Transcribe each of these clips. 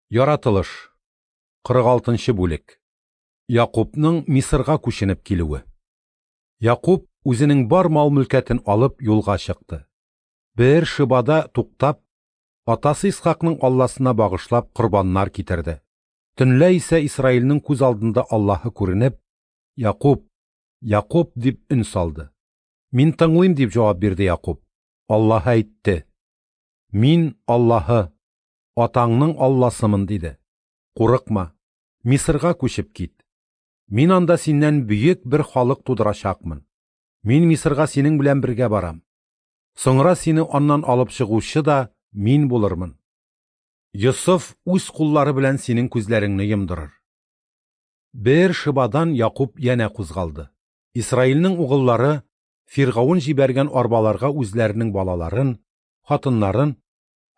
Яратылыш. 46 нчы бүлек. Якубның Мисырга күченеп килүе. Якуб үзенең бар мал-мөлкәтен алып юлга чыкты. Беэр-Шибада туктап, атасы Исхакның Алласына багышлап корбаннар китерде. Төнлә исә Исраилнең күз алдында Аллаһы күренеп, Якуб, Якуб дип өн салды. Мин тыңлыйм, дип җавап бирде Якуб. Аллаһы әйтте: Мин Аллаһы, атаңның Алласымын, диде. Курыкма, Мисырга күчеп кит. Мин анда синнән бөек бер халык тудырачакмын. Мин Мисырга синең белән бергә барам. Соңра сине аннан алып чыгучы да мин булырмын. Йосыф үз куллары белән синең күзләреңне йомдырыр. Беэр-Шибадан Якуб янә кузгалды. Исраилнең угыллары Фиргавен җибәргән арбаларга үзләренең балаларын, хатыннарын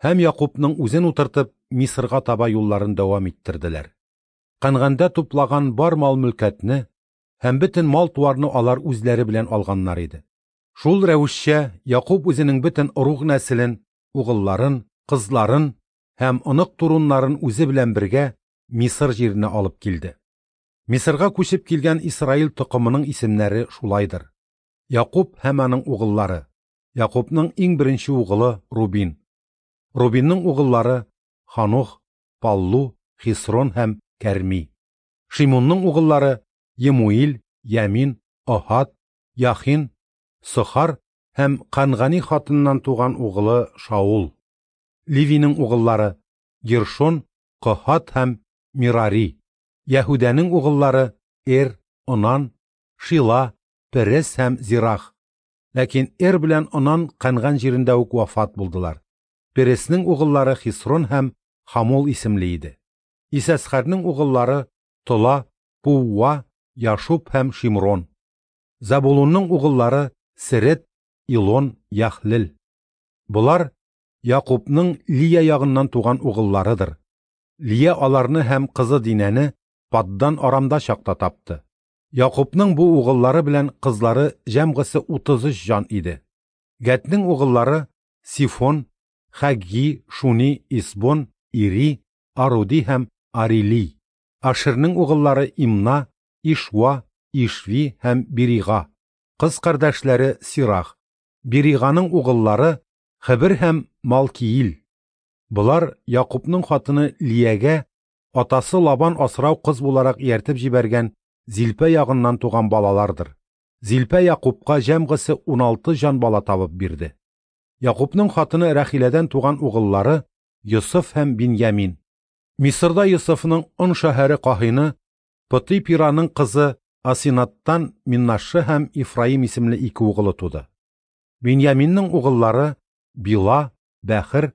һәм Якубның үзен утыртып, Мисырга таба юлларын дәвам иттерделәр. Кәнгандә туплаган бар мал-мөлкәтне һәм бөтен мал-туарны алар үзләре белән алганнар иде. Шул рәвешчә Якуб үзенең бөтен ыруг-нәселен, угылларын, кызларын һәм онык-туруннарын үзе белән бергә Мисыр җиренә алып килде. Мисырга күчеп килгән Исраил токымының исемнәре шулайдыр. Якуб һәм аның угыллары. Якубның иң беренче угылы Рубин. Рубинның угыллары Ханух, Паллу, Хисрон һәм Кәрми. Шимунның угыллары Емуил, Ямин, Оһад, Яхин, Сохар һәм Кангани хатыннан туган угылы Шаул. Левиның угыллары Гершон, Коһат һәм Мирари. Яһүдәнең угыллары Эр, Онан, Шила, Перес һәм Зирах. Ләкин Эр белән Онан Канган җирендә үк вафат булдылар. Переснең угыллары Хисрон һәм Хамул исемле иде. Исәсхәрнең угыллары Тола, Пууа, Яшуб һәм Шимрон. Забулунның угыллары Серет, Илон, Яхлел. Болар Якубның Лия ягыннан туган угылларыдыр. Лия аларны һәм кызы Динәне Паддан Арамда чакта тапты. Якубның бу угыллары белән кызлары җәмгысе 33 җан иде. Гәтнең угыллары Сифон, Хәгги, Шуни, Исбон, Ири, Аруди һәм Арили. Ашернең угыллары Имна, Ишва, Ишви һәм Бирига. Кыз кардәшләре Сирах. Бириганың угыллары Хебер һәм Малкиил. Болар Якубның хатыны Лиягә атасы Лабан асрау кыз буларак ияртеп җибәргән Зилпә ягыннан туган балалардыр. Зилпә Якубка җәмгысе 16 җан бала табып бирде. Якубның хатыны Рәхиләдән туган угыллары Йосыф һәм Биньямин. Мисырда Йосыфның Он шәһәре каһины Потыйпираның кызы Асинаттан Миннашшы һәм Ифраим исемле ике угылы туды. Биньяминның угыллары Била, Бәхер,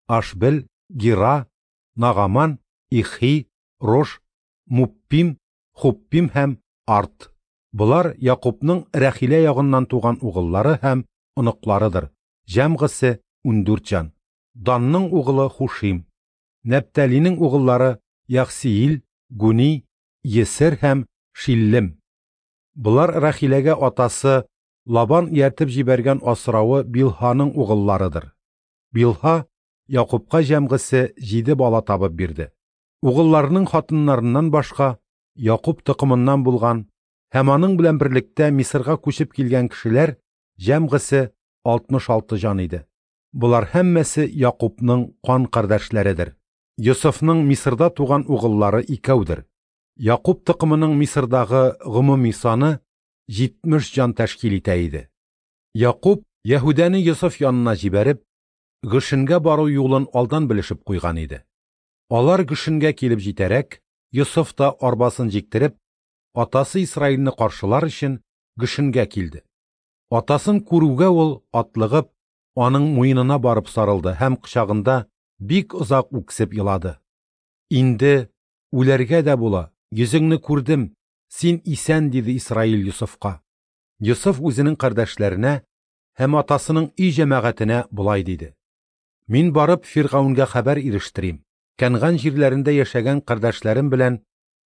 Ашбел, Гира, Нагаман, Ихи, Рош, Муппим, Хуппим һәм Арт. Болар Якубның Рәхилә ягыннан туган угыллары һәм оныкларыдыр. Җәмгысе 14 җан. Данның угылы Хушим. Нәптәлинең угыллары Яхсиил, Гуни, Есер һәм Шиллем. Болар Рәхиләгә атасы Лабан ияртеп җибәргән асравы Билһаның угылларыдыр. Билһа Якубка җәмгысе 7 бала табып бирде. Угылларының хатыннарыннан башка Якуб токымыннан булган һәм аның белән берлектә Мисырга күчеп килгән кешеләр җәмгысе 66 җан иде. Болар һәммәсе Якубның кан кардәшләредер. Йосыфның Мисырда туган угыллары икәүдер. Якуб токымының Мисырдагы гомуми саны 70 җан тәшкил итә иде. Якуб Яһүдәне Йосыф янына җибәреп, Гөшенгә бару юлын алдан белешеп куйган иде. Алар Гөшенгә килеп җитәрәк, Йосыф та арбасын җиктереп, атасы Исраилне каршылар өчен Гөшенгә килде. Атасын күрүгә ул, атлыгып, аның муенына барып сарылды һәм кочагында бик озак үксеп елады. Инде үләргә дә була, йөзеңне күрдем, син исән, диде Исраил Йосыфка. Йосыф үзенең кардәшләренә һәм атасының өй җәмәгатенә болай диде: Мин барып Фиргаунгә хәбәр ирештерим. Кәнган җирләрендә яшәгән кардәшләрем белән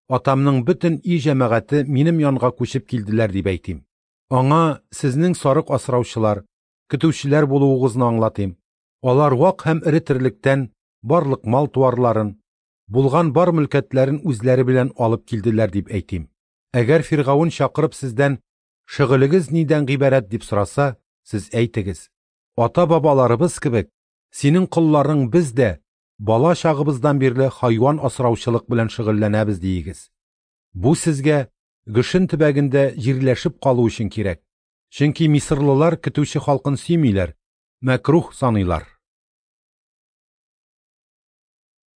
атамның бөтен өй җәмәгате минем янга күчеп килделәр дип әйтим. Аңа сезнең сарык асраучылар, көтүчеләр булуыгызны аңлатыйм. Алар вак һәм эре терлектән барлык мал-туарларын, булган бар мөлкәтләрен үзләре белән алып килделәр дип әйтим. Әгәр Фиргавен чакырып сездән, шөгылегез нидән гыйбарәт дип сораса, сез әйтегез: ата-бабаларыбыз кебек, синең колларың без дә бала чагыбыздан бирле хайван асраучылык белән шөгыльләнәбез диегез. Бу сезгә Гөшен төбәгендә җирләшеп калу өчен кирәк. Чөнки мисырлылар көтүче халкын сөймиләр, мәкруһ саныйлар.